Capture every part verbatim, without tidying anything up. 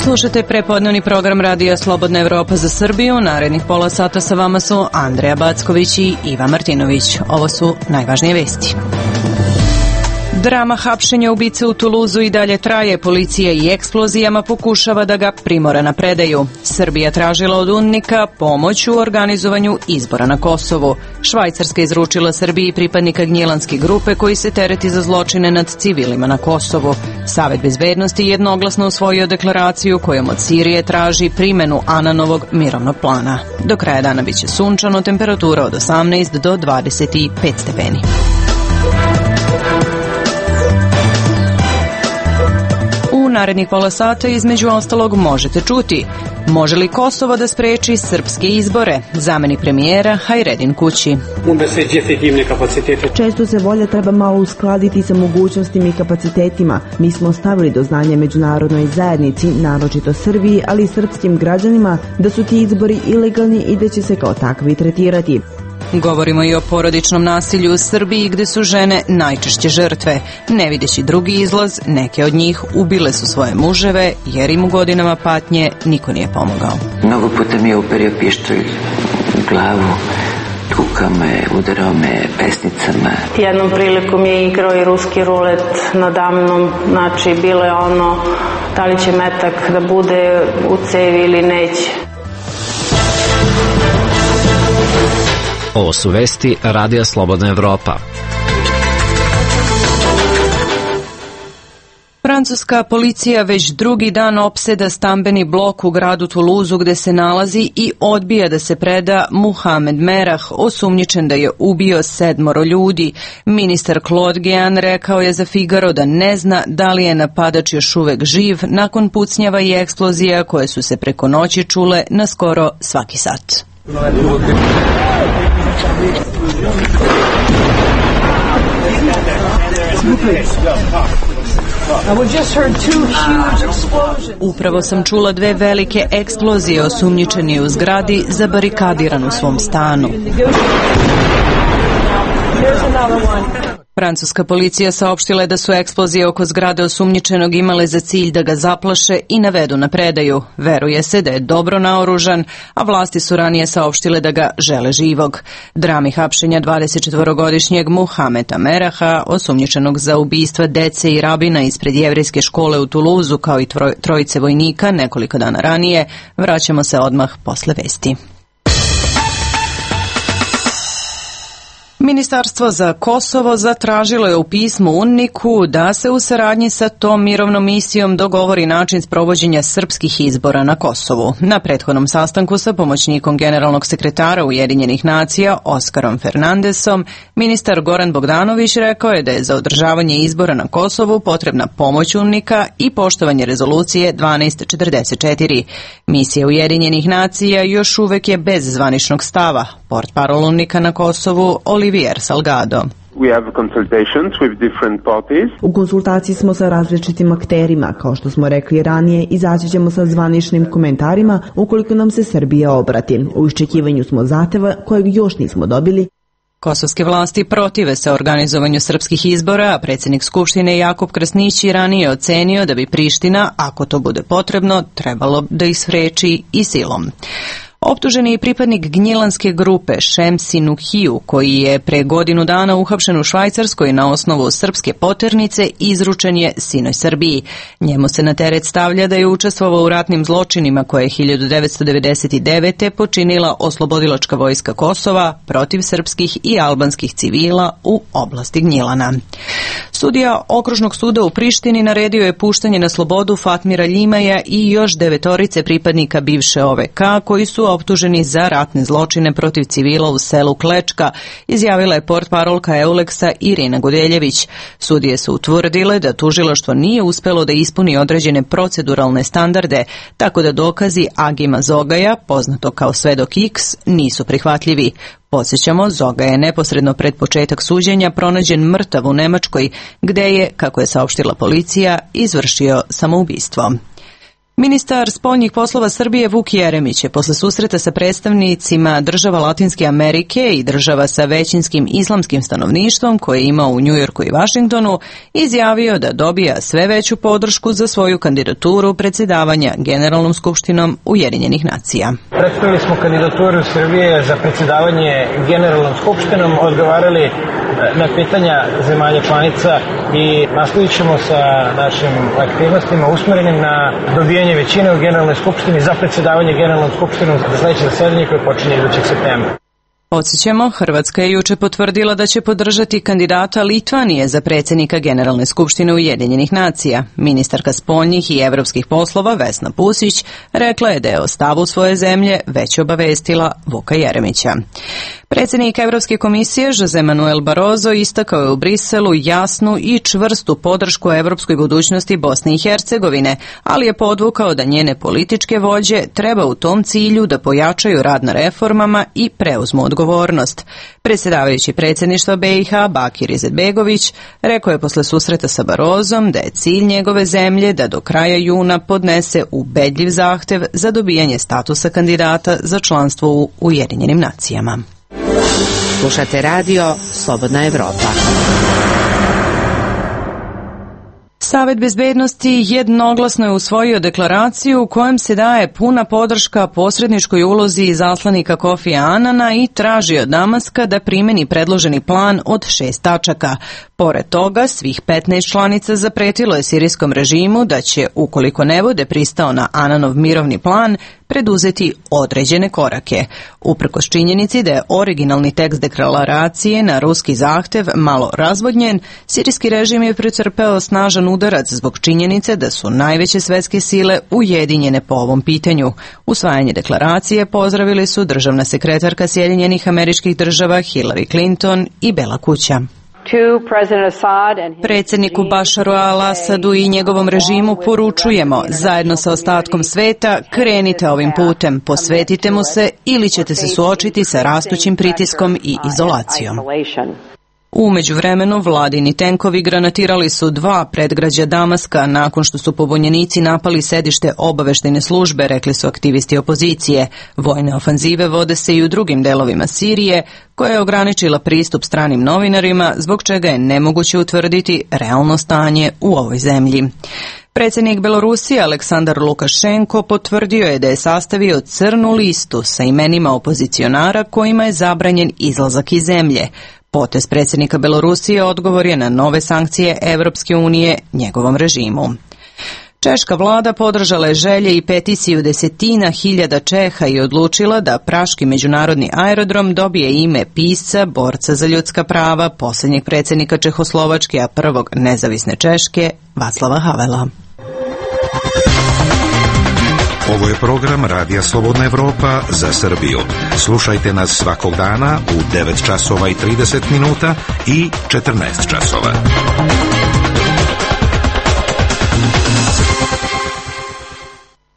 Slušate prepodnevni program Radija Slobodna Evropa za Srbiju. Narednih pola sata sa vama su Andreja Backović i Iva Martinović. Ovo su najvažnije vesti. Drama hapšenja ubice u Tuluzu i dalje traje. Policija i eksplozijama pokušava da ga primora na predaju. Srbija tražila od UNMIK-a pomoć u organizovanju izbora na Kosovu. Švajcarska izručila Srbiji pripadnika gnjilanske grupe koji se tereti za zločine nad civilima na Kosovu. Savet bezbednosti jednoglasno usvojio deklaraciju kojom od Sirije traži primenu Ananovog mirovnog plana. Do kraja dana biće sunčano, temperatura od osamnaest do dvadeset pet stepeni. U narednih pola sata između ostalog možete čuti: može li Kosovo da spreči srpske izbore? Zamenik premijera Hajredin kući. Često se volja treba malo uskladiti sa mogućnostima i kapacitetima. Mi smo stavili do znanja međunarodnoj zajednici, naročito Srbiji, ali i srpskim građanima, da su ti izbori ilegalni i da će se kao takvi tretirati. Govorimo i o porodičnom nasilju u Srbiji gde su žene najčešće žrtve. Ne videći drugi izlaz, neke od njih ubile su svoje muževe jer im u godinama patnje niko nije pomogao. Mnogo puta mi je uperio pištolj u glavu, tukao me, udarao me pesnicama. Jednom prilikom je igrao i ruski rulet nadamnom, znači bilo je ono da li će metak da bude u cevi ili neće. Ovo su vesti Radija Slobodna Evropa. Francuska policija već drugi dan opseda stambeni blok u gradu Tuluzu gde se nalazi i odbija da se preda Muhamed Merah, osumnjičen da je ubio sedmoro ljudi. Ministar Claude Guéant rekao je za Figaro da ne zna da li je napadač još uvek živ nakon pucnjava i eksplozija koje su se preko noći čule na skoro svaki sat. Upravo sam čula dve velike eksplozije, osumnjičeni u zgradi zabarikadiran u svom stanu. Francuska policija saopštila je da su eksplozije oko zgrade osumnjičenog imale za cilj da ga zaplaše i navedu na predaju. Veruje se da je dobro naoružan, a vlasti su ranije saopštile da ga žele živog. Drami hapšenja dvadesetčetvorogodišnjeg Muhameda Meraha, osumnjičenog za ubistva dece i rabina ispred jevrejske škole u Tuluzu, kao i trojice vojnika nekoliko dana ranije, vraćamo se odmah posle vesti. Ministarstvo za Kosovo zatražilo je u pismu UNMIK-u da se u saradnji sa tom mirovnom misijom dogovori način sprovođenja srpskih izbora na Kosovu. Na prethodnom sastanku sa pomoćnikom generalnog sekretara Ujedinjenih nacija Oskarom Fernandesom, ministar Goran Bogdanović rekao je da je za održavanje izbora na Kosovu potrebna pomoć UNMIK-a i poštovanje rezolucije dvanaest četrdeset četiri. Misija Ujedinjenih nacija još uvek je bez zvaničnog stava. Portparol UNMIK-a na Kosovu Olivier Salgado. U konsultaciji smo sa različitim akterima, kao što smo rekli ranije, izaći ćemo sa zvaničnim komentarima ukoliko nam se Srbija obrati. U iščekivanju smo zahteva kojeg još nismo dobili. Kosovske vlasti protive se organizovanju srpskih izbora, a predsjednik Skupštine Jakub Krasnić je ranije ocenio da bi Priština, ako to bude potrebno, trebalo da ih spreči i silom. Optuženi je pripadnik gnjilanske grupe Šemsi Nuhiju, koji je pre godinu dana uhapšen u Švajcarskoj na osnovu srpske poternice, izručen je sinoć Srbiji. Njemu se na teret stavlja da je učestvovao u ratnim zločinima koje je hiljadu devetsto devedeset devete. počinila Oslobodilačka vojska Kosova protiv srpskih i albanskih civila u oblasti Gnjilana. Sudija Okružnog suda u Prištini naredio je puštanje na slobodu Fatmira Ljimaja i još devetorice pripadnika bivše O V K koji su optuženi za ratne zločine protiv civila u selu Klečka, izjavila je portparolka Euleksa Irina Gudeljević. Sudije su utvrdile da tužilaštvo nije uspelo da ispuni određene proceduralne standarde, tako da dokazi Agima Zogaja, poznato kao Svedok X, nisu prihvatljivi. Podsjećamo, Zoga je neposredno pred početak suđenja pronađen mrtav u Nemačkoj, gde je, kako je saopštila policija, izvršio samoubistvo. Ministar spoljnih poslova Srbije Vuk Jeremić je posle susreta sa predstavnicima država Latinske Amerike i država sa većinskim islamskim stanovništvom koje je imao u Njujorku i Vašingtonu izjavio da dobija sve veću podršku za svoju kandidaturu predsjedavanja Generalnom skupštinom Ujedinjenih nacija. Predstavili smo kandidaturu Srbije za predsjedavanje Generalnom skupštinom, odgovarali na pitanja zemalja članica i nastavit ćemo sa našim aktivnostima usmjerenim na dobijanje većine u Generalnoj skupštini za predsjedavanje Generalnom skupštinom za sljedeće zasedanje koje počinje idućeg septembra. Podsjećamo, Hrvatska je juče potvrdila da će podržati kandidata Litvanije za predsjednika Generalne skupštine Ujedinjenih nacija. Ministarka spoljnih i evropskih poslova Vesna Pusić rekla je da je o stavu svoje zemlje već obavestila Vuka Jeremića. Predsjednik Evropske komisije Jose Manuel Barroso istakao je u Briselu jasnu i čvrstu podršku evropskoj budućnosti Bosne i Hercegovine, ali je podvukao da njene političke vođe treba u tom cilju da pojačaju rad na reformama i preuzmu odgovornost. Predsjedavajući predsjedništva B i H Bakir Izetbegović rekao je posle susreta sa Barrosom da je cilj njegove zemlje da do kraja juna podnese ubedljiv zahtev za dobijanje statusa kandidata za članstvo u Ujedinjenim nacijama. Slušate radio Slobodna Evropa. Savet bezbednosti jednoglasno je usvojio deklaraciju u kojem se daje puna podrška posredničkoj ulozi izaslanika Kofija Anana i traži od Damaska da primeni predloženi plan od šest tačaka. Pored toga, svih petnaest članica zapretilo je sirijskom režimu da će, ukoliko ne bude pristao na Ananov mirovni plan, preduzeti određene korake. Uprkos činjenici da je originalni tekst deklaracije na ruski zahtev malo razvodnjen, sirijski režim je pretrpeo snažan udarac zbog činjenice da su najveće svetske sile ujedinjene po ovom pitanju. Usvajanje deklaracije pozdravili su državna sekretarka Sjedinjenih Američkih Država Hillary Clinton i Bela kuća. Predsjedniku Bašaru al-Asadu i njegovom režimu poručujemo, zajedno sa ostatkom sveta, krenite ovim putem, posvetite mu se ili ćete se suočiti sa rastućim pritiskom i izolacijom. U međuvremenu vladini tenkovi granatirali su dva predgrađa Damaska nakon što su pobunjenici napali sedište obaveštajne službe, rekli su aktivisti opozicije. Vojne ofanzive vode se i u drugim delovima Sirije, koja je ograničila pristup stranim novinarima, zbog čega je nemoguće utvrditi realno stanje u ovoj zemlji. Predsjednik Belorusije Aleksandar Lukašenko potvrdio je da je sastavio crnu listu sa imenima opozicionara kojima je zabranjen izlazak iz zemlje. Potez predsjednika Belorusije odgovor je na nove sankcije Evropske unije njegovom režimu. Češka vlada podržala je želje i peticiju desetina hiljada Čeha i odlučila da praški međunarodni aerodrom dobije ime pisca, borca za ljudska prava, posljednjeg predsjednika Čehoslovačke, a prvog nezavisne Češke, Václava Havela. Ovo je program Radija Slobodna Evropa za Srbiju. Slušajte nas svakog dana u devet časova i trideset minuta i četrnaest časova.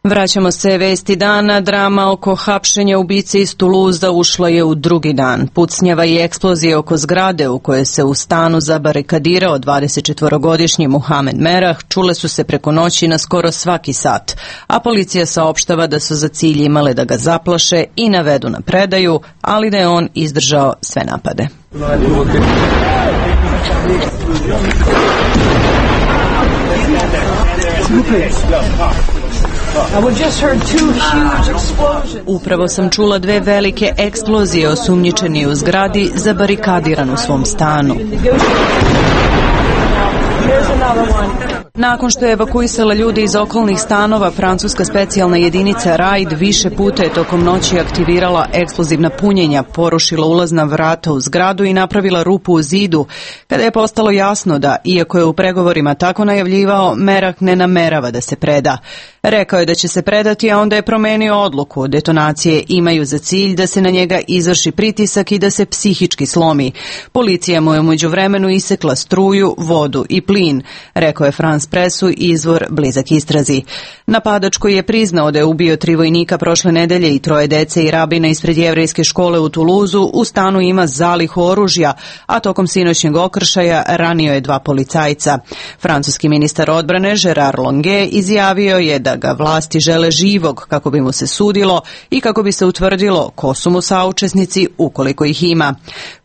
Vraćamo se vesti dana. Drama oko hapšenja ubice iz Tuluza ušla je u drugi dan. Pucnjava i eksplozije oko zgrade u kojoj se u stanu zabarikadirao dvadesetčetvorogodišnji Muhamed Merah čule su se preko noći na skoro svaki sat, a policija saopštava da su za cilj imale da ga zaplaše i navedu na predaju, ali da je on izdržao sve napade. Upravo sam čula dve velike eksplozije, osumnjičeni u zgradi zabarikadiran u svom stanu. Nakon što je evakuisala ljude iz okolnih stanova, francuska specijalna jedinica Raid više puta je tokom noći aktivirala eksplozivna punjenja, porušila ulazna vrata u zgradu i napravila rupu u zidu, kada je postalo jasno da, iako je u pregovorima tako najavljivao, Merah ne namerava da se preda. Rekao je da će se predati, a onda je promenio odluku. Detonacije imaju za cilj da se na njega izvrši pritisak i da se psihički slomi. Policija mu je u međuvremenu isekla struju, vodu i plin, rekao je francuski Danas Pressu izvor blizak istrazi. Napadač koji je priznao da je ubio tri vojnika prošle nedelje i troje dece i rabina ispred jevrejske škole u Tuluzu u stanu ima zalihu oružja, a tokom sinoćnjeg okršaja ranio je dva policajca. Francuski ministar odbrane Gerard Longuet izjavio je da ga vlasti žele živog kako bi mu se sudilo i kako bi se utvrdilo ko su mu saučesnici ukoliko ih ima.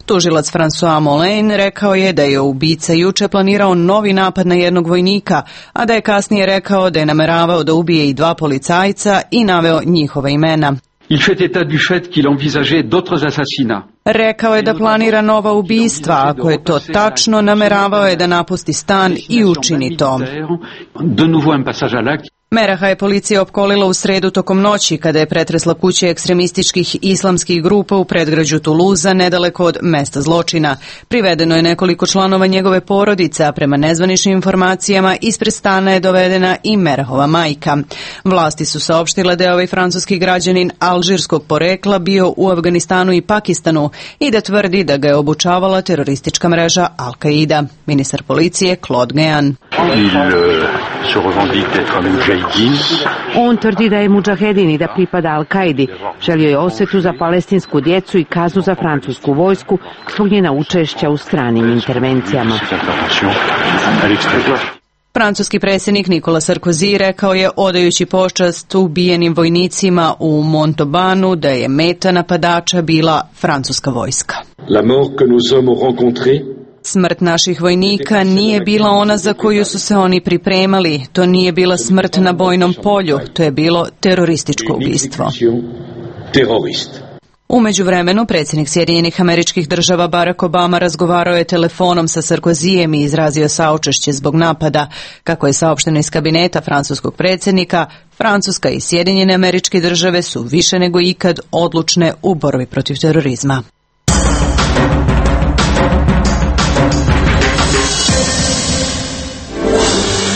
Tužilac François Molin rekao je da je ubica juče planirao novi napad na jednog vojnika, a da je kasnije rekao da je nameravao da ubije i dva policajca i naveo njihova imena. Il fait état du fait qu'il envisageait d'autres assassinats. Rekao je da planira nova ubistva, ako je to tačno, nameravao je da napusti stan i učini to. De nouveau un passage à l'acte. Meraha je policija opkolila u sredu tokom noći kada je pretresla kuće ekstremističkih islamskih grupa u predgrađu Tuluza nedaleko od mesta zločina. Privedeno je nekoliko članova njegove porodice, a prema nezvaničnim informacijama ispred stana je dovedena i Merahova majka. Vlasti su saopštile da je ovaj francuski građanin alžirskog porekla bio u Afganistanu i Pakistanu i da tvrdi da ga je obučavala teroristička mreža Al-Qaida. Ministar policije Claude Guéant. On tvrdi da je mudžahedin i da pripada Al-Kaidi. Želio je osvetu za palestinsku djecu i kaznu za francusku vojsku zbog njena učešća u stranim intervencijama. Francuski predsjednik Nicolas Sarkozy rekao je odajući počast ubijenim vojnicima u Montauban da je meta napadača bila francuska vojska. La mort que nos hommes ont rencontrée. Smrt naših vojnika nije bila ona za koju su se oni pripremali. To nije bila smrt na bojnom polju. To je bilo terorističko ubistvo. U međuvremenu, predsjednik Sjedinjenih Američkih Država Barack Obama razgovarao je telefonom sa Sarkozyjem i izrazio saučešće zbog napada. Kako je saopšteno iz kabineta francuskog predsjednika, Francuska i Sjedinjene Američke Države su više nego ikad odlučne u borbi protiv terorizma.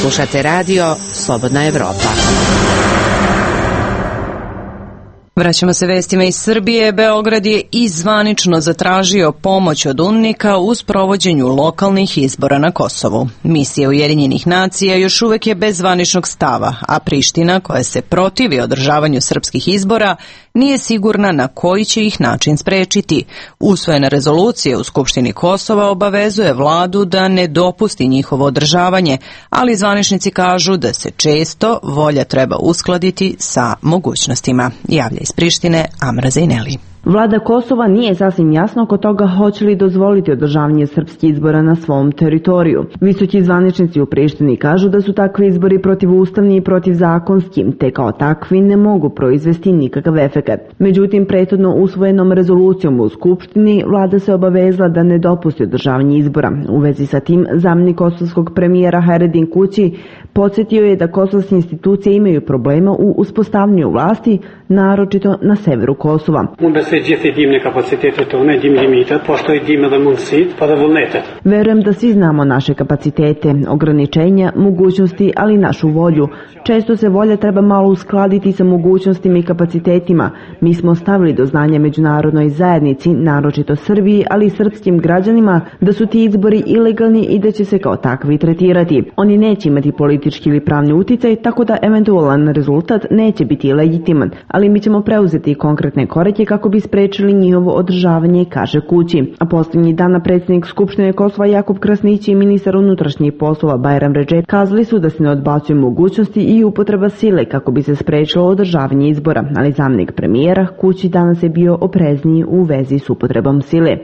Slušate radio Slobodna Evropa. Vraćamo se vestima iz Srbije. Beograd je i zvanično zatražio pomoć od UNMIK-a u sprovođenju lokalnih izbora na Kosovu. Misija Ujedinjenih nacija još uvek je bez zvaničnog stava, a Priština, koja se protivi održavanju srpskih izbora, nije sigurna na koji će ih način sprečiti. Usvojena rezolucija u Skupštini Kosova obavezuje vladu da ne dopusti njihovo održavanje, ali zvaničnici kažu da se često volja treba uskladiti sa mogućnostima. Javlja iz Prištine Amra Zejneli. Vlada Kosova nije sasvim jasno oko toga hoće li dozvoliti održavanje srpskih izbora na svom teritoriju. Visoki zvaničnici u Prištini kažu da su takvi izbori protivustavni i protivzakonski, te kao takvi ne mogu proizvesti nikakav efekat. Međutim, prethodno usvojenom rezolucijom u Skupštini vlada se obavezala da ne dopusti održavanje izbora. U vezi sa tim, zamjenik kosovskog premijera Haredin Kući podsjetio je da kosovske institucije imaju problema u uspostavljanju vlasti, naročito na severu Kosova. Verujem da svi znamo naše kapacitete, ograničenja, mogućnosti, ali i našu volju. Često se volja treba malo uskladiti sa mogućnostima i kapacitetima. Mi smo stavili do znanja međunarodnoj zajednici, naročito Srbiji, ali i srpskim građanima, da su ti izbori ilegalni i da će se kao takvi tretirati. Oni neće imati politički ili pravni uticaj, tako da eventualan rezultat neće biti legitiman, ali mi ćemo preuzeti konkretne korake kako bi sprečili njihovo održavanje, kaže Kući. A posljednjih dana predsjednik Skupštine Kosova Jakub Krasnić i ministar unutrašnjih poslova Bajram Redžep kazali su da se ne odbacuju mogućnosti i upotreba sile kako bi se sprečilo održavanje izbora, ali zamjenik premijera Kući danas je bio oprezniji u vezi s upotrebom sile.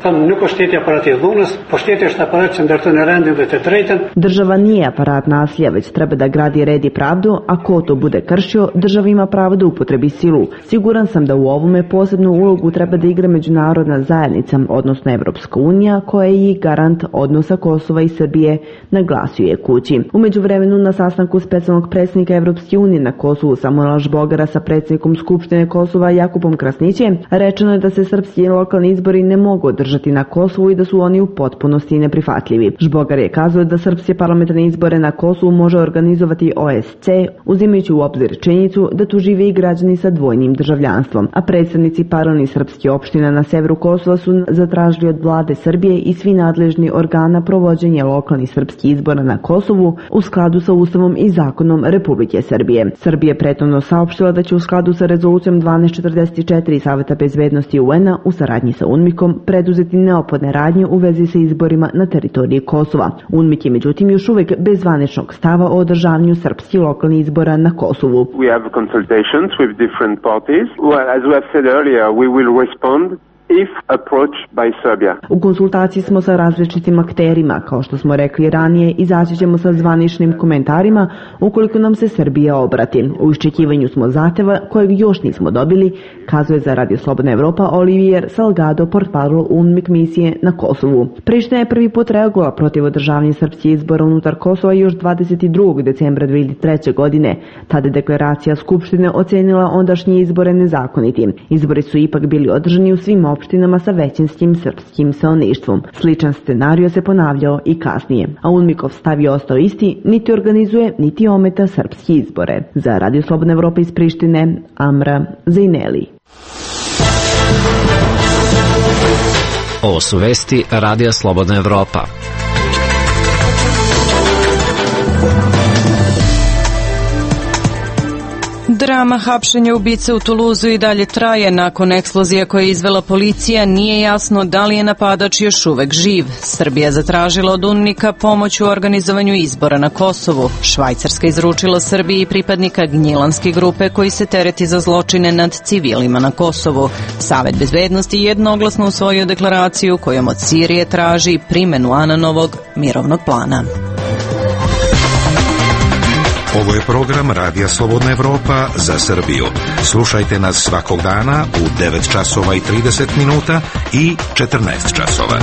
Država nije aparat nasilja, već treba da gradi red i pravdu, a ko to bude kršio, država ima pravo da upotrebi silu. Siguran sam da u ovome posebnu ulogu treba da igra međunarodna zajednica, odnosno Evropska unija, koja je i garant odnosa Kosova i Srbije, naglasio je Kući. U međuvremenu na sastanku specijalnog predsjednika Evropske unije na Kosovu Samuela Žbogara sa predsjednikom Skupštine Kosova Jakubom Krasnićem rečeno je da se srpski lokalni izbori ne mogu održati na Kosovu i da su oni u potpunosti neprihvatljivi. Žbogar je kazao da srpske parlamentarne izbore na Kosovu može organizovati O S C, uzimajući u obzir činjenicu da tu žive i građani sa dvojnim državljanstvom, a predstavnici paralelnih srpskih opština na severu Kosova su zatražili od vlade Srbije i svi nadležni organa provođenje lokalnih srpskih izbora na Kosovu u skladu sa Ustavom i zakonom Republike Srbije. Srbija prethodno saopštila da će u skladu sa rezolucijom dvanaest četrdeset četiri Saveta bezbednosti U N-a u saradnji sa UNMIK-om preduzeti neophodne radnje u vezi sa izborima na teritoriji Kosova. UNMIK je međutim još uvek bez zvaničnog stava o održavanju srpskih lokalnih izbora na Kosovu. We have consultations with different parties. Well, as we have said earlier, we will respond if approached by Serbia. U konsultaciji smo sa različitim akterima, kao što smo rekli ranije, izaći ćemo sa zvaničnim komentarima ukoliko nam se Srbija obrati. U iščekivanju smo zahteva kojeg još nismo dobili, kazuje za Radio Slobodna Evropa Olivier Salgado, portparol UNMIK misije na Kosovu. Priština je prvi put reagovala protiv održavanja srpskih izbora unutar Kosova još dvadeset drugog decembra dve hiljade treće. godine. Tada je deklaracija Skupštine ocenila ondašnje izbore nezakonitim. Izbori su ipak bili održani u svim opštinama sa većinskim srpskim stanovništvom. Sličan scenario se ponavljao i kasnije, a UNMIK-ov stav je ostao isti, niti organizuje, niti ometa srpski izbore. Za Radio Slobodna Evropa iz Prištine, Amra Zejneli. Ovo su vesti Radija Slobodna Evropa. Drama hapšenja ubice u Tuluzu i dalje traje. Nakon eksplozija koje je izvela policija, nije jasno da li je napadač još uvek živ. Srbija zatražila od UNMIK-a pomoć u organizovanju izbora na Kosovu. Švajcarska izručila Srbiji pripadnika Gnjilanske grupe koji se tereti za zločine nad civilima na Kosovu. Savet bezbednosti jednoglasno usvojio deklaraciju kojom od Sirije traži primenu Ananovog mirovnog plana. Ovo je program Radija Slobodna Evropa za Srbiju. Slušajte nas svakog dana u devet časova i trideset minuta i četrnaest časova.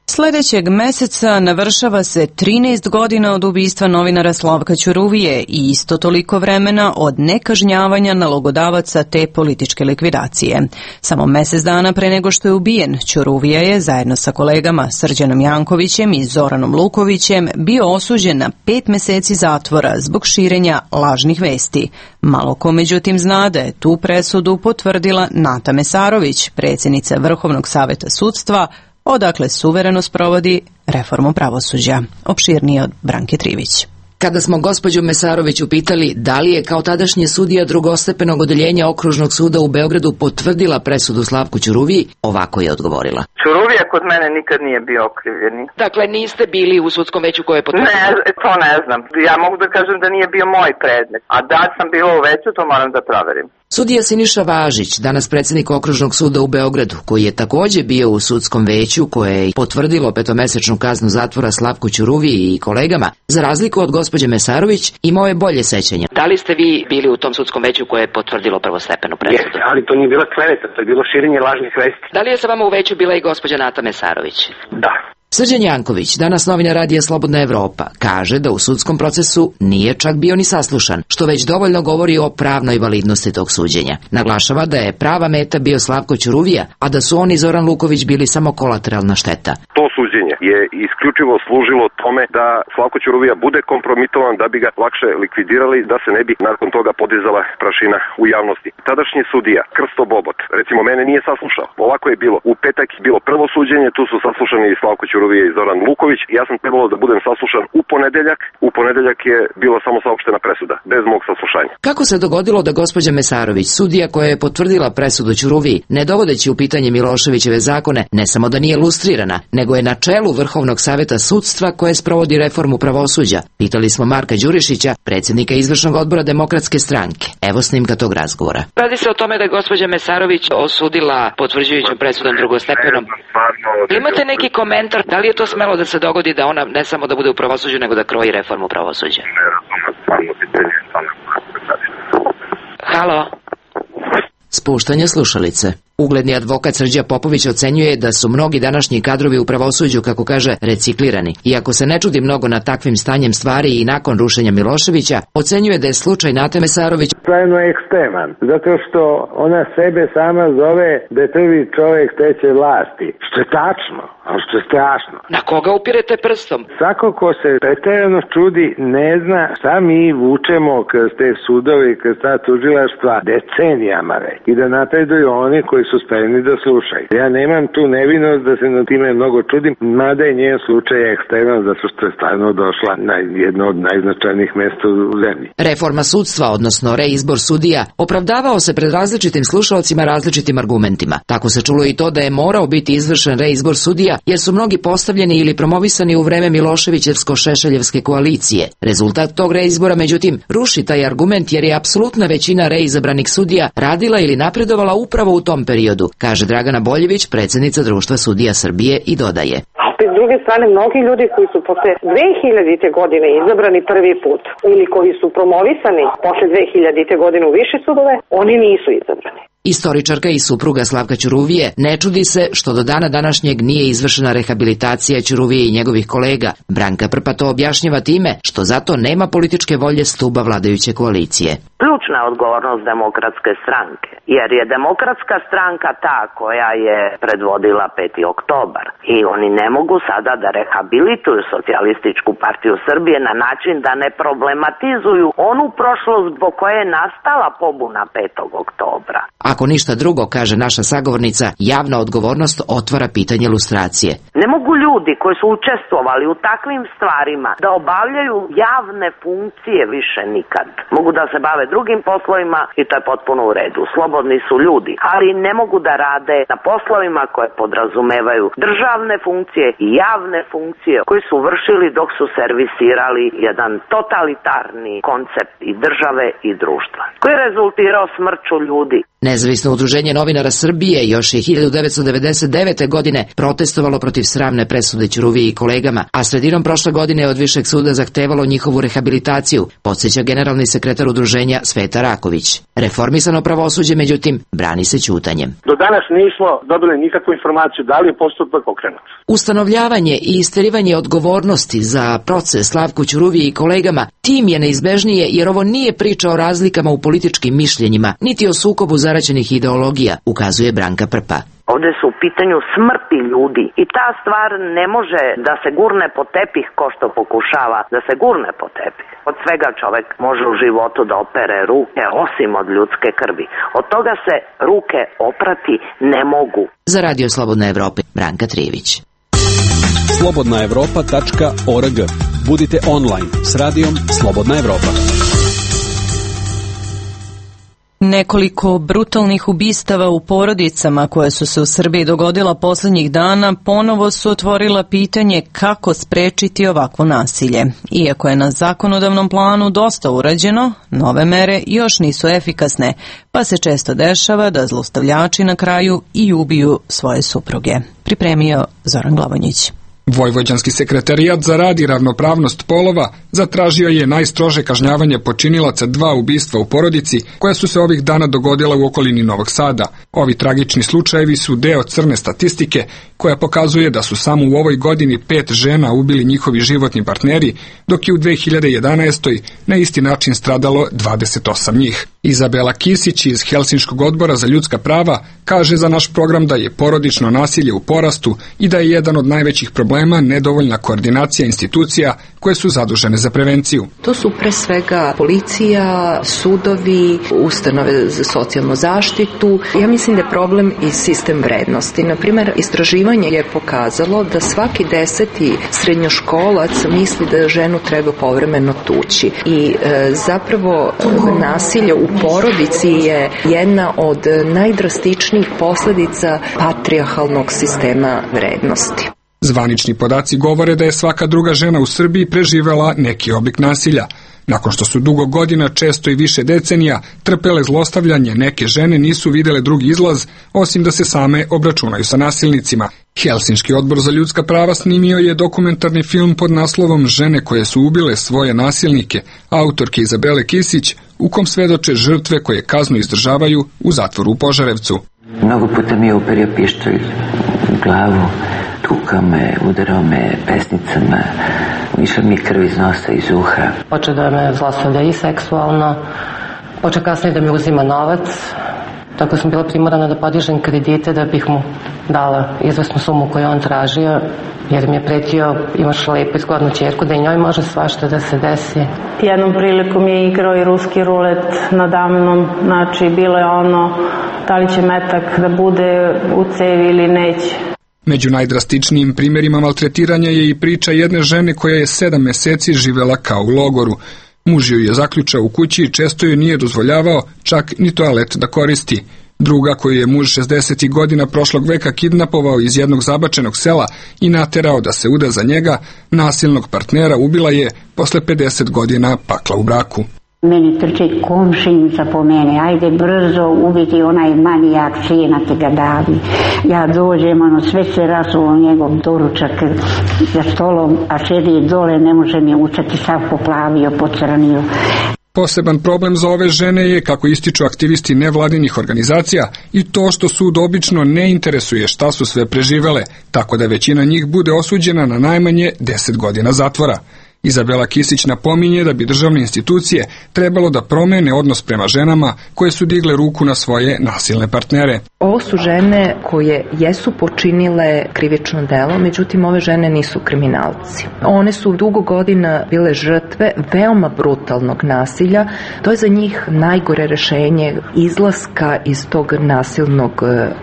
Sledećeg meseca navršava se trinaest godina od ubistva novinara Slavka Ćuruvije i isto toliko vremena od nekažnjavanja nalogodavaca te političke likvidacije. Samo mesec dana pre nego što je ubijen, Ćuruvija je zajedno sa kolegama Srđanom Jankovićem i Zoranom Lukovićem bio osuđen na pet meseci zatvora zbog širenja lažnih vesti. Malo ko međutim zna da je tu presudu potvrdila Nata Mesarović, predsjednica Vrhovnog saveta sudstva, odakle suvereno sprovodi reformu pravosuđa. Opširnije od Branke Trivić. Kada smo gospođu Mesarović upitali da li je kao tadašnji sudija drugostepenog odeljenja Okružnog suda u Beogradu potvrdila presudu Slavku Ćuruviji, ovako je odgovorila. Ćuruvija kod mene nikad nije bio okrivljeni. Dakle, niste bili u sudskom veću koje je potvrdila? Ne, to ne znam. Ja mogu da kažem da nije bio moj predmet. A da sam bila u veću, to moram da proverim. Sudija Siniša Važić, danas predsjednik Okružnog suda u Beogradu, koji je također bio u sudskom veću koje je potvrdilo petomesečnu kaznu zatvora Slavku Ćuruviji i kolegama, za razliku od gospođe Mesarović, imao je bolje sećanje. Da li ste vi bili u tom sudskom veću koje je potvrdilo prvostepenu presudu? Jeste, ali to nije bila kleveta, to je bilo širenje lažnih vesti. Da li je sa vama u veću bila i gospođa Nata Mesarović? Da. Srđan Janković, danas novinar Radija Slobodna Evropa, kaže da u sudskom procesu nije čak bio ni saslušan, što već dovoljno govori o pravnoj validnosti tog suđenja. Naglašava da je prava meta bio Slavko Ćuruvija, a da su on i Zoran Luković bili samo kolateralna šteta. To suđenje je isključivo služilo tome da Slavko Ćuruvija bude kompromitovan, da bi ga lakše likvidirali, da se ne bi nakon toga podizala prašina u javnosti. Tadašnji sudija, Krsto Bobot, recimo mene nije saslušao. Ovako je bilo. U petak je bilo prvo suđenje, tu su saslušani i Slavko Ćuruvija i Zoran Luković. Ja sam trebalo da budem saslušan u ponedeljak. U ponedeljak je bila samo saopštena presuda, bez mog saslušanja. Kako se dogodilo da gospođa Mesarović, sudija koja je potvrdila presudu Ćuruviji, ne dovodeći u pitanje Miloševićeve zakone, ne samo da nije lustrirana, nego je na čelu Vrhovnog saveta sudstva koje sprovodi reformu pravosuđa? Pitali smo Marka Đurišića, predsjednika izvršnog odbora Demokratske stranke. Evo snimka tog razgovora. Radi se o tome da je gospođa Mesarović osudila potvrđujućom presudom drugostepenom. Imate neki komentar, da li je to smelo da se dogodi da ona ne samo da bude u pravosuđu, nego da kroji reformu pravosuđa? Halo? Spuštanje slušalice. Ugledni advokat Srđa Popović ocenjuje da su mnogi današnji kadrovi u pravosuđu, kako kaže, reciklirani. Iako se ne čudi mnogo na takvim stanjem stvari i nakon rušenja Miloševića, ocenjuje da je slučaj Nate Mesarović stvarno ekstreman, zato što ona sebe sama zove da je prvi čovjek treće vlasti, što je tačno, ali što je strašno. Na koga upirete prstom? Svako ko se pretjerano čudi ne zna šta mi vučemo kroz te sudove i kroz ta tužilaštva decenijama već i da napreduju oni koji su spremni da slušaju. Ja nemam tu nevinost da se na time mnogo čudim, mada je njen slučaj ekstreman zato što je stvarno došla na jedno od najznačajnijih mjesta u zemlji. Reforma sudstva, odnosno reizbor sudija, opravdavao se pred različitim slušaocima različitim argumentima. Tako se čulo i to da je morao biti izvršen reizbor sudija, jer su mnogi postavljeni ili promovisani u vreme Miloševićevsko-Šešeljevske koalicije. Rezultat tog reizbora, međutim, ruši taj argument jer je apsolutna većina reizabranih sudija radila ili napredovala upravo u tom periodu, kaže Dragana Boljević, predsjednica Društva sudija Srbije, i dodaje. S druge strane, mnogi ljudi koji su posle dve hiljadite godine izabrani prvi put ili koji su promovisani posle dve hiljadite godine u više sudove, oni nisu izabrani. Istoričarka i supruga Slavka Ćuruvije ne čudi se što do dana današnjeg nije izvršena rehabilitacija Ćuruvije i njegovih kolega. Branka Prpa to objašnjava time što zato nema političke volje stuba vladajuće koalicije. Ključna je odgovornost demokratske stranke, jer je demokratska stranka ta koja je predvodila peti oktobar i oni ne mogu sada da rehabilituju socijalističku partiju Srbije na način da ne problematizuju onu prošlost zbog koje je nastala pobuna petog oktobra. Ako ništa drugo, kaže naša sagovornica, javna odgovornost otvara pitanje lustracije. Ne mogu ljudi koji su učestvovali u takvim stvarima da obavljaju javne funkcije više nikad. Mogu da se bave drugim poslovima i to je potpuno u redu. Slobodni su ljudi, ali ne mogu da rade na poslovima koje podrazumevaju državne funkcije i javne funkcije koji su vršili dok su servisirali jedan totalitarni koncept i države i društva, koji je rezultirao smrću ljudi. Nezavisno udruženje novinara Srbije još je hiljadu devetsto devedeset devete. godine protestovalo protiv sramne presude Ćuruviji i kolegama, a sredinom prošle godine je od Višeg suda zahtevalo njihovu rehabilitaciju, podsjeća generalni sekretar udruženja Sveta Raković. Reformisano pravosuđe, međutim, brani se ćutanjem. Do danas nismo dobili nikakvu informaciju da li je postupak pokrenut. Ustanovljavanje i isterivanje odgovornosti za proces Slavku Ćuruviji i kolegama tim je neizbežnije, jer ovo nije priča o razlikama u političkim mišljenjima, niti o sukobu zaraćenih ideologija, ukazuje Branka Prpa. Ovdje su u pitanju smrti ljudi i ta stvar ne može da se gurne po tepih ko što pokušava da se gurne po tepih. Od svega čovjek može u životu da opere ruke osim od ljudske krvi. Od toga se ruke oprati ne mogu. Za Radio Slobodna Evropa, Branka Trijević. slobodna evropa tačka org. Budite online s radijom Slobodna Evropa. Nekoliko brutalnih ubistava u porodicama koje su se u Srbiji dogodila posljednjih dana ponovo su otvorila pitanje kako sprečiti ovakvo nasilje. Iako je na zakonodavnom planu dosta urađeno, nove mere još nisu efikasne, pa se često dešava da zlostavljači na kraju i ubiju svoje supruge. Pripremio Zoran Glavonjić. Vojvođanski sekretarijat za rad i ravnopravnost polova zatražio je najstrože kažnjavanje počinilaca dva ubistva u porodici koja su se ovih dana dogodila u okolini Novog Sada. Ovi tragični slučajevi su deo crne statistike koja pokazuje da su samo u ovoj godini pet žena ubili njihovi životni partneri, dok je u dve hiljade jedanaestoj. na isti način stradalo dvadeset osam njih. Izabela Kisić iz Helsinškog odbora za ljudska prava kaže za naš program da je porodično nasilje u porastu i da je jedan od najvećih problema nedovoljna koordinacija institucija koje su zadužene za prevenciju. To su pre svega policija, sudovi, ustanove za socijalnu zaštitu. Ja mislim da je problem i sistem vrednosti. Na primjer, istraživanje je pokazalo da svaki deseti srednjoškolac misli da ženu treba povremeno tući. I e, zapravo nasilje u porodici je jedna od najdrastičnijih posljedica patrijarhalnog sistema vrednosti. Zvanični podaci govore da je svaka druga žena u Srbiji preživela neki oblik nasilja. Nakon što su dugo godina, često i više decenija, trpele zlostavljanje, neke žene nisu videle drugi izlaz, osim da se same obračunaju sa nasilnicima. Helsinški odbor za ljudska prava snimio je dokumentarni film pod naslovom Žene koje su ubile svoje nasilnike, autorke Izabele Kisić, u kom svedoče žrtve koje kaznu izdržavaju u zatvoru u Požarevcu. Mnogo puta mi je uperio pištolj u glavu, tukao me, udarao me pesnicama, išla mi krv iz nosa, iz uha. Počeo da me zlostavlja i seksualno, počeo kasnije da mi uzima novac, tako sam bila primorana da podižem kredite da bih mu dala izvesnu sumu koju on tražio, jer mi je pretio, imaš lepu izgodnu ćerku, da i njoj može svašta da se desi. Jednom prilikom je igrao i ruski rulet nadamnom, znači bilo je ono da li će metak da bude u cevi ili neće. Među najdrastičnijim primjerima maltretiranja je i priča jedne žene koja je sedam meseci živela kao u logoru. Muž joj je zaključao u kući i često joj nije dozvoljavao čak ni toalet da koristi. Druga koju je muž šezdesetih godina prošlog veka kidnapovao iz jednog zabačenog sela i naterao da se uda za njega, nasilnog partnera ubila je posle pedeset godina pakla u braku. Meni trči komšinica po mene, ajde brzo ubiti onaj manijak, sina ti ga davi. Ja dođem, ono, sve se rasulo njegov doručak za stolom, a sedi dole, ne može mi učati, sav poplavio, pocrnio. Poseban problem za ove žene je, kako ističu aktivisti nevladinih organizacija, i to što sud obično ne interesuje šta su sve preživele, tako da većina njih bude osuđena na najmanje deset godina zatvora. Izabela Kisić napominje da bi državne institucije trebalo da promene odnos prema ženama koje su digle ruku na svoje nasilne partnere. Ovo su žene koje jesu počinile krivično delo, međutim ove žene nisu kriminalci. One su dugo godina bile žrtve veoma brutalnog nasilja. To je za njih najgore rešenje izlaska iz tog nasilnog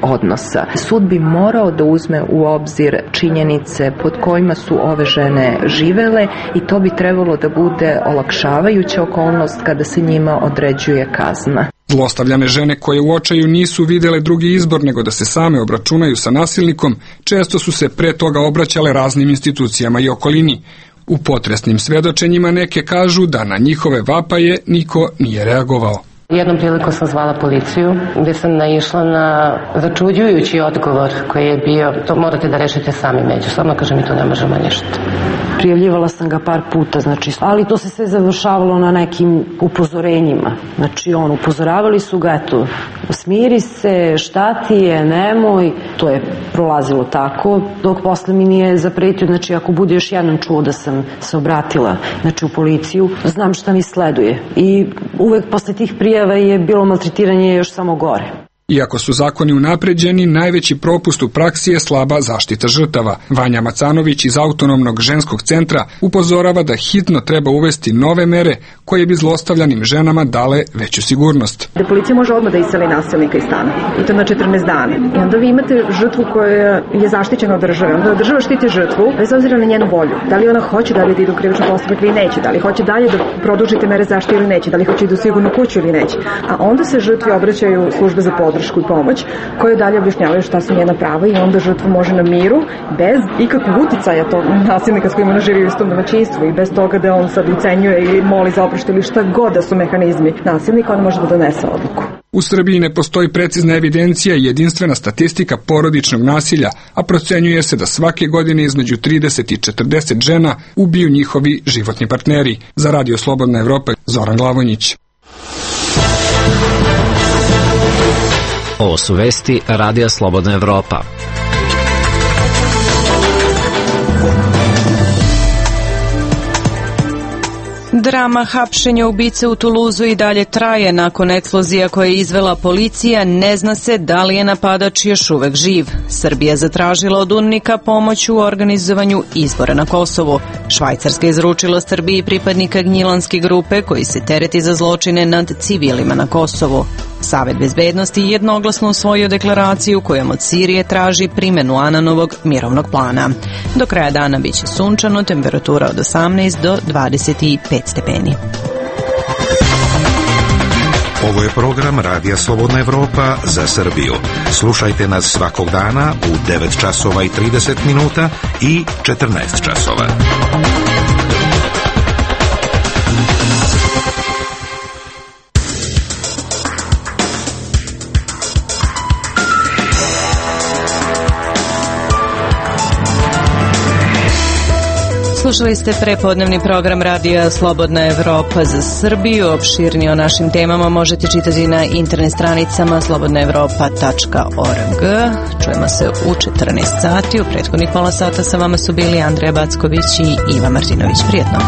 odnosa. Sud bi morao da uzme u obzir činjenice pod kojima su ove žene živele i to bi trebalo da bude olakšavajuća okolnost kada se njima određuje kazna. Zlostavljane žene koje u očaju nisu videle drugi izbor nego da se same obračunaju sa nasilnikom, često su se pre toga obraćale raznim institucijama i okolini. U potresnim svedočenjima neke kažu da na njihove vapaje niko nije reagovao. Jednom prilikom sam zvala policiju, gdje sam naišla na začuđujući odgovor koji je bio: to morate da rešite sami međusobno, kaže, mi to ne možemo ništa. Prijavljivala sam ga par puta, znači, ali to se sve završavalo na nekim upozorenjima. Znači, on, upozoravali su ga, eto, smiri se, šta ti je, nemoj. To je prolazilo tako, dok posle mi nije zapretio, znači, ako bude još jednom čuo da sam se obratila, znači, u policiju, znam šta mi sleduje. I uvek posle tih prijava je bilo maltretiranje još samo gore. Iako su zakoni unapređeni, najveći propust u praksi je slaba zaštita žrtava. Vanja Macanović iz Autonomnog ženskog centra upozorava da hitno treba uvesti nove mere koje bi zlostavljanim ženama dale veću sigurnost. Da policija može odmah da iseli nasilnika iz stana, i to na četrnaest dana. I onda vi imate žrtvu koja je zaštićena od države. Onda država štiti žrtvu bez obzira na njenu volju. Da li ona hoće dalje da ide u krivični postupak ili neće, da li hoće dalje da produžite mere zaštite ili neće, da li hoće da idu u sigurnu kuću ili neće. A onda se žrtvi obraćaju službe za podršku i pomoć, koje dalje objašnjavaju šta su njena prava i onda žrtva može na miru, bez ikakvog uticaja tog nasilnika s kojim ona živi u istom domaćinstvu i bez toga da on sad ucenjuje ili moli za oproštaj ili šta god da su mehanizmi nasilnika, ona može da donese odluku. U Srbiji ne postoji precizna evidencija i jedinstvena statistika porodičnog nasilja, a procenjuje se da svake godine između trideset i četrdeset žena ubiju njihovi životni partneri. Za Radio Slobodna Evropa, Zoran Glavonjić. Ovo su vesti Radija Slobodna Evropa. Drama hapšenja ubice u Tuluzu i dalje traje. Nakon eksplozija koje je izvela policija, ne zna se da li je napadač još uvek živ. Srbija zatražila od UNMIK-a pomoć u organizovanju izbora na Kosovu. Švajcarska je izručila Srbiji pripadnika Gnjilanske grupe koji se tereti za zločine nad civilima na Kosovu. Savet bezbednosti jednoglasno usvojio deklaraciju kojom od Sirije traži primenu Ananovog mirovnog plana. Do kraja dana biće sunčano, temperatura od osamnaest do dvadeset pet stepeni. Ovo je program Radija Slobodna Evropa za Srbiju. Slušajte nas svakog dana u devet časova i trideset minuta i četrnaest časova. Slušali ste prepodnevni program radija Slobodna Evropa za Srbiju. Opširnije o našim temama možete čitati na internet stranicama slobodna evropa tačka org. Čujemo se u četrnaest sati. U prethodnih pola sata sa vama su bili Andreja Backović i Iva Martinović. Prijetno.